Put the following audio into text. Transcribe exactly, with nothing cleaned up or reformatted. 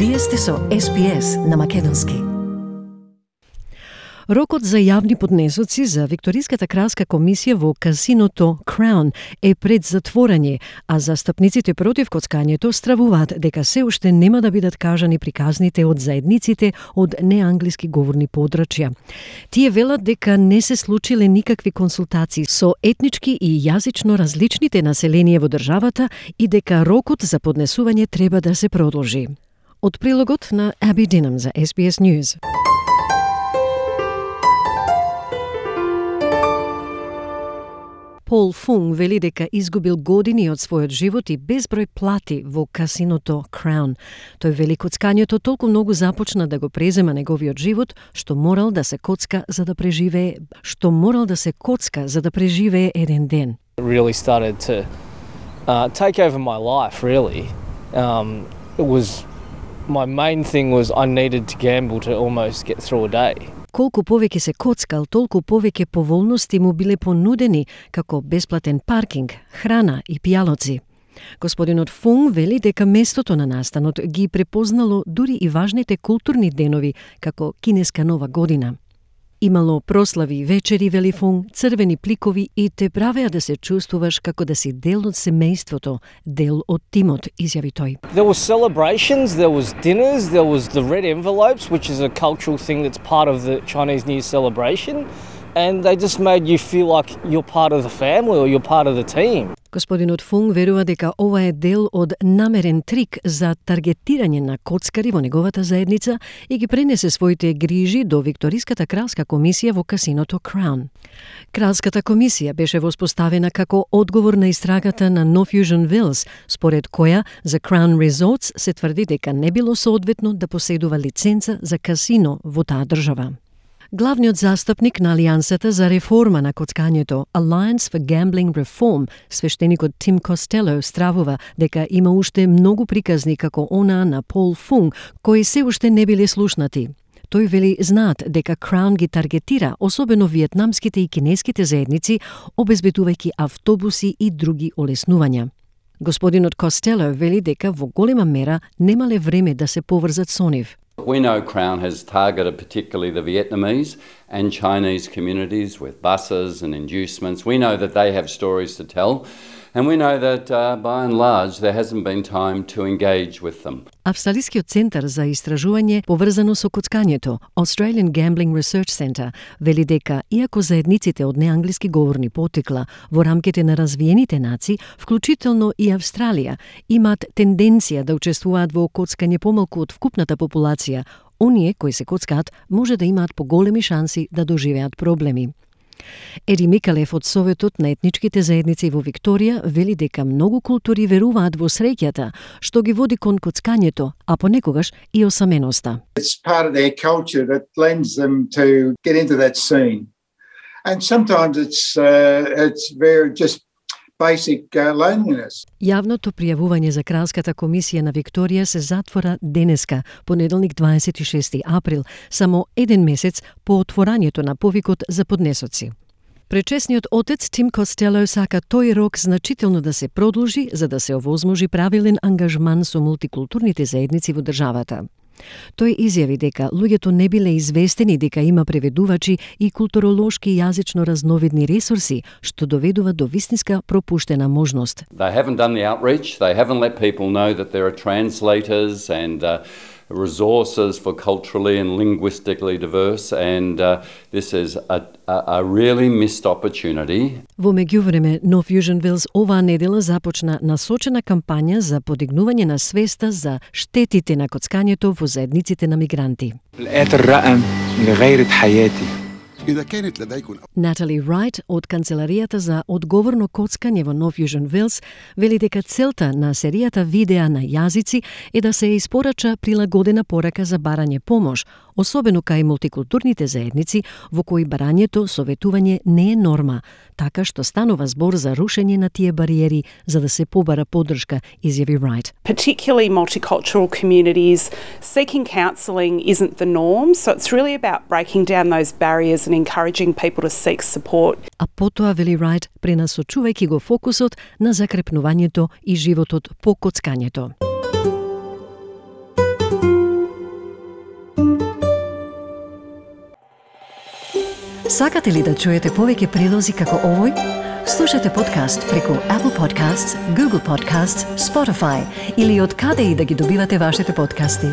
Вие сте со Ес Би Ес на македонски. Рокот за јавни поднесоци за Викториската кралска комисија во казиното Crown е пред затворање, а застапниците против коцкањето стравуваат дека се уште нема да бидат кажани приказните од заедниците од неанглиски говорни подрачја. Тие велат дека не се случиле никакви консултации со етнички и јазично различните население во државата и дека рокот за поднесување треба да се продолжи. Од прилогот на Аби Динам за Ес Би Ес News. Пол Фунг вели дека изгубил години од својот живот и безброј плати во казиното Crown. Тој вели коцкањето толку многу започна да го презема неговиот живот, што морал да се коцка за да преживее, што морал да се коцка за да преживее еден ден. It really started to uh, take over my life, really. Um, it was, my main thing was I needed to gamble to almost get through a day. Колку повеќе се коцкал, толку повеќе поволности му биле понудени, како бесплатен паркинг, храна и пијалоци. Господинот Фунг вели дека местото на настанот ги препознало дури и важните културни денови, како кинеска нова година. Имало прослави и вечери, вели Фунг, црвени пликови и те правеа да се чувствуваш како да си дел од семејството, дел од тимот, изјави тој. There were celebrations, there was dinners, there was the red envelopes, which is a cultural thing that's part of the Chinese New Year celebration, and they just made you feel like you're part of the family or you're part of the team. Господинот Фунг верува дека ова е дел од намерен трик за таргетирање на коцкари во неговата заедница и ги пренесе своите грижи до Викториската кралска комисија во казиното Crown. Кралската комисија беше воспоставена како одговор на истрагата на No Fusion Wills, според која за Crown Resorts се тврди дека не било соодветно да поседува лиценца за казино во таа држава. Главниот застапник на Алијансата за реформа на коцкањето, Alliance for Gambling Reform, свештеникот Тим Костело стравува дека има уште многу приказни како онаа на Пол Фунг, кои се уште не биле слушнати. Тој вели знаат дека Crown ги таргетира особено виетнамските и кинеските заедници, обезбедувајќи автобуси и други олеснувања. Господинот Костело вели дека во голема мера немале време да се поврзат со нив. We know Crown has targeted particularly the Vietnamese and Chinese communities with buses and inducements. We know that they have stories to tell, and we know that uh, by and large there hasn't been time to engage with them. Австралискиот центар за истражување поврзано со коцкањето, Australian Gambling Research Centre, вели дека иако заедниците од неанглиски говорни потекла во рамките на развиените нации, вклучително и Австралија, имаат тенденција да учествуваат во коцкање помалку од вкупната популација, оние кои се коцкаат може да имаат поголеми шанси да доживеат проблеми. Еди Микалев од Советот на етничките заедници во Викторија вели дека многу култури веруваат во среќата, што ги води кон коцкањето, а понекогаш и осаменоста. It's part of their culture that lends them to get into that scene. And sometimes it's uh, it's very just basic uh, loneliness. Јавното пријавување за Кралската комисија на Викторија се затвора денеска, понеделник дваесет и шести април, само еден месец по отворањето на повикот за поднесоци. Пречесниот отец Тим Костело сака тој рок значително да се продолжи за да се овозможи правилен ангажман со мултикултурните заедници во државата. Тој изјави дека луѓето не биле известени дека има преведувачи и културолошки и јазично разновидни ресурси, што доведува до вистинска пропуштена можност. They haven't done the outreach, they haven't let people know that there are translators and uh, resources for culturally and linguistically diverse, and uh, this is a, a, a really missed opportunity. Во меѓувреме, No Fusion Wills оваа недела започна насочена кампања за подигнување на свеста за штетите на коцкањето во заедниците на мигранти. Натали Райт од Канцеларијата за одговорно коцкање во No Fusion Wills вели дека целта на серијата видеа на јазици е да се испорача прилагодена порака за барање помош, особено кај мултикултурните заедници во кои барањето советување не е норма, така што станува збор за рушење на тие бариери за да се побара поддршка, изјави Райт. Particularly multicultural communities, seeking counselling isn't the norm, so it's really about breaking down those barriers and encouraging people to seek support. А потоа, вели Райт, пренасочувајќи го фокусот на закрепнувањето и животот по коцкањето. Сакате ли да чуете повеќе прилози како овој? Слушате подкаст преку Apple Podcasts, Google Podcasts, Spotify или од каде и да ги добивате вашите подкасти.